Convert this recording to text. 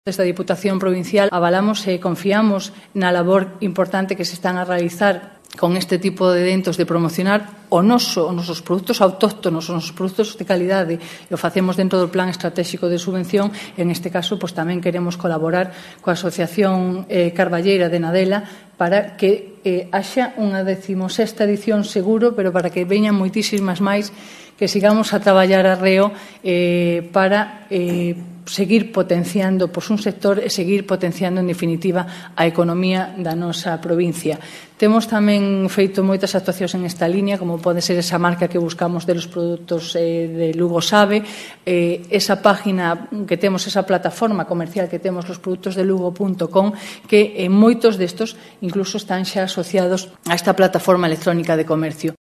Desde a Diputación Provincial avalamos e confiamos na labor importante que se están a realizar con este tipo de eventos de promocionar os nosos produtos autóctonos, os nosos produtos de calidade, e o facemos dentro do Plan Estratégico de Subvención. En este caso, pois tamén queremos colaborar coa Asociación Carballeira de Nadela para que haxa unha 16ª edición seguro, pero para que veñan moitísimas máis, que sigamos a traballar arreo para seguir potenciando un sector e seguir potenciando, en definitiva, a economía da nosa provincia. Temos tamén feito moitas actuacións en esta línea, como pode ser esa marca que buscamos de los produtos de Lugo Sabe, esa página que temos, esa plataforma comercial que temos, losproductosdelugo.com, que moitos destos incluso están xa asociados a esta plataforma electrónica de comercio.